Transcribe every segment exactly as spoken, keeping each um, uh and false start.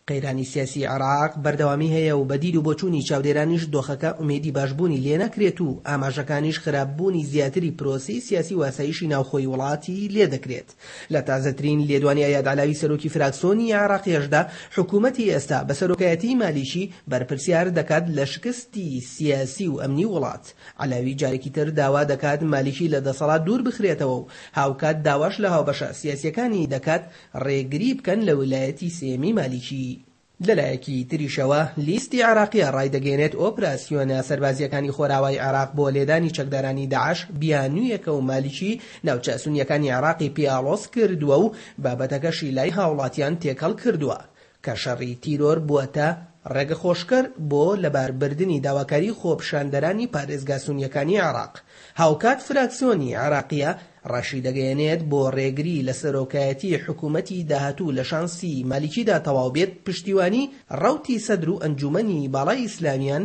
قەیرانی سیاسی عێراق بەردەوامی هەیە و بە دید و بۆچوونی چاودێرانیش دۆخەکە ئومێدی باشبوونی لێناکرێت و ئاماژەکانیش خراپبوونی زیاتری پرۆسەی سیاسی و ئاسایشی ناوخۆی وڵاتی لێدەکرێت. لە تازەترین لێدوانی ئەیاد عەلاوی سەرۆکی فراکسۆنی عێراقیشدا حکوومەتی ئێستا بە سەرۆکایەتی مالیکی بەرپرسیار دەکات لە شکستی سیاسی و ئەمنی وڵات. عەلاوی جارێکی تر داوا دەکات مالیکی لە دەسەڵات دوور بخرێتەوە و هاوکات داواش لە هاوبەشە سیاسیەکانی دەکات ڕێگری بکەن لە ویلایەتی سێیەمی مالیکی. لەلایەکی تریشەوە لیستی عێراقیە ڕایدەگەیەنێت ئۆپراسیۆنە سەربازیەکانی خۆراوای عێراق بۆ لێدانی چەکدارانی داعش بیانوویەکە و مالیکی ناوچە سونیەکانی عێراقی پێ ئاڵۆز کردووە و بابەتەکەشی لای هاوڵاتیان تێکەڵ کردووە کە شەڕی تیرۆر بووەتە ڕێگەخۆشکەر بۆ لەباربردنی داواکاری خۆپیشاندەرانی پارێزگا سونیەکانی عێراق. هاوکات فراکسیۆنی عێراقیە ڕاشیدەگەیەنێت بۆ ڕێگری لە سەرۆکایەتی حکوومەتی داهاتوو لە شانسی مالیکیدا تەواو بێت پشتیوانی ڕەوتی سەدر و ئەنجومەنی باڵای ئیسلامیان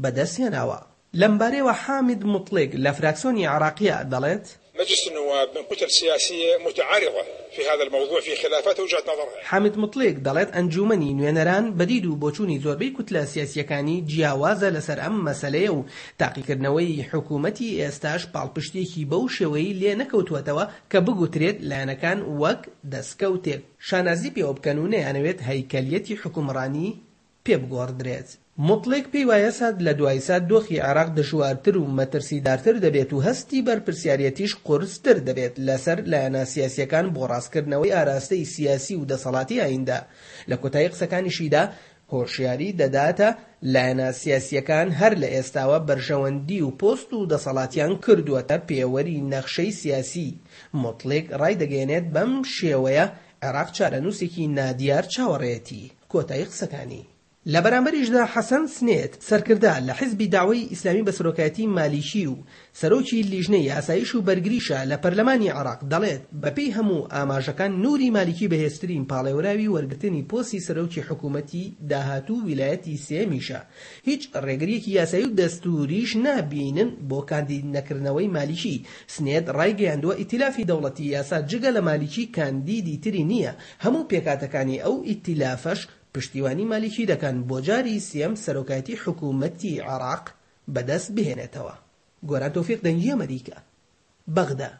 بەدەستهێناوە. لەمبارەیەوە حامد موتڵیگ لە فراکسیۆنی عێراقیە دەڵێت: مجلس النواب من كتل سياسية متعارضة في هذا الموضوع في خلافات وجهات نظرها. حامد موتڵیگ دەڵێت ئەنجومەنی نوێنەران بە دید و بۆچوونی زۆربەی کوتلە سیاسیەکانی جیاوازە لەسەر ئەم مەسەلەیە و تاقیکردنەوەی حکوومەتی ئێستاش پاڵپشتێکی بەو شێوەی لێ نەکەوتووەتەوە کە بگوترێت لایەنەکان وەک دەستکەوتێک شانازی پێوە بکەن و نەیانەوێت هەیکەلیەتی حکومڕانی پێ بگۆڕدرێت. موتڵیگ پێی وایە سات لە دوای سات دۆخی عێراق دژوارتر و مەترسیدارتر دەبێت و هەستی بەرپرسیارەتیش قورستر دەبێت لەسەر لایەنە سیاسیەکان بۆ ڕاستکردنەوەی ئاراستەی سیاسی و دەسەڵاتی ئایندە. لە کۆتایی قسەکانیشیدا هۆشیاری دەداتە لایەنە سیاسیەکان هەر لە ئێستاوە بەرژەوەندی و پۆست و دەسەڵاتیان کردووەتە پێوەری نەخشەی سیاسی. موتڵیگ ڕایدەگەیەنێت بەم شێوەیە عێراق چارەنووسێکی نادیار چاوەڕێتی. کۆتایی قسەکانی. لە بەرامبەریشدا حەسەن سنێت سەرکردە لە حزبی داوای ئیسلامی بە سەرۆکایەتی مالیکی و سەرۆکی لیژنەی ئاسایش و بەرگریشە لە پەرلەمانی عێراق دەڵێت بەپێی هەموو ئاماژەکان نوری مالیکی بەهێزترین پاڵێوراوی وەرگرتنی پۆستی سەرۆکی حکوومەتی داهاتوو ویلایەتی سێمیشە. هیچ ڕێگریەکی یاسایی و دەستوریش نابینن بۆ کاندید نەکردنەوەی مالیکی. سنێت ڕایگەیاندووە ئیتیلافی دەوڵەتی یاسا جگە لە مالیکی کاندیدی تری نییە، هەموو پێکاتەکانی ئەو ئیتیلافەش پشتیوانی مالیکی دەکەن بۆ جاری سێم سەرۆکایەتی حکوومەتی عێراق بەدەست بهێنێتەوە. گۆران تۆفیق، دەنگی ئەمریکا، بەغدا.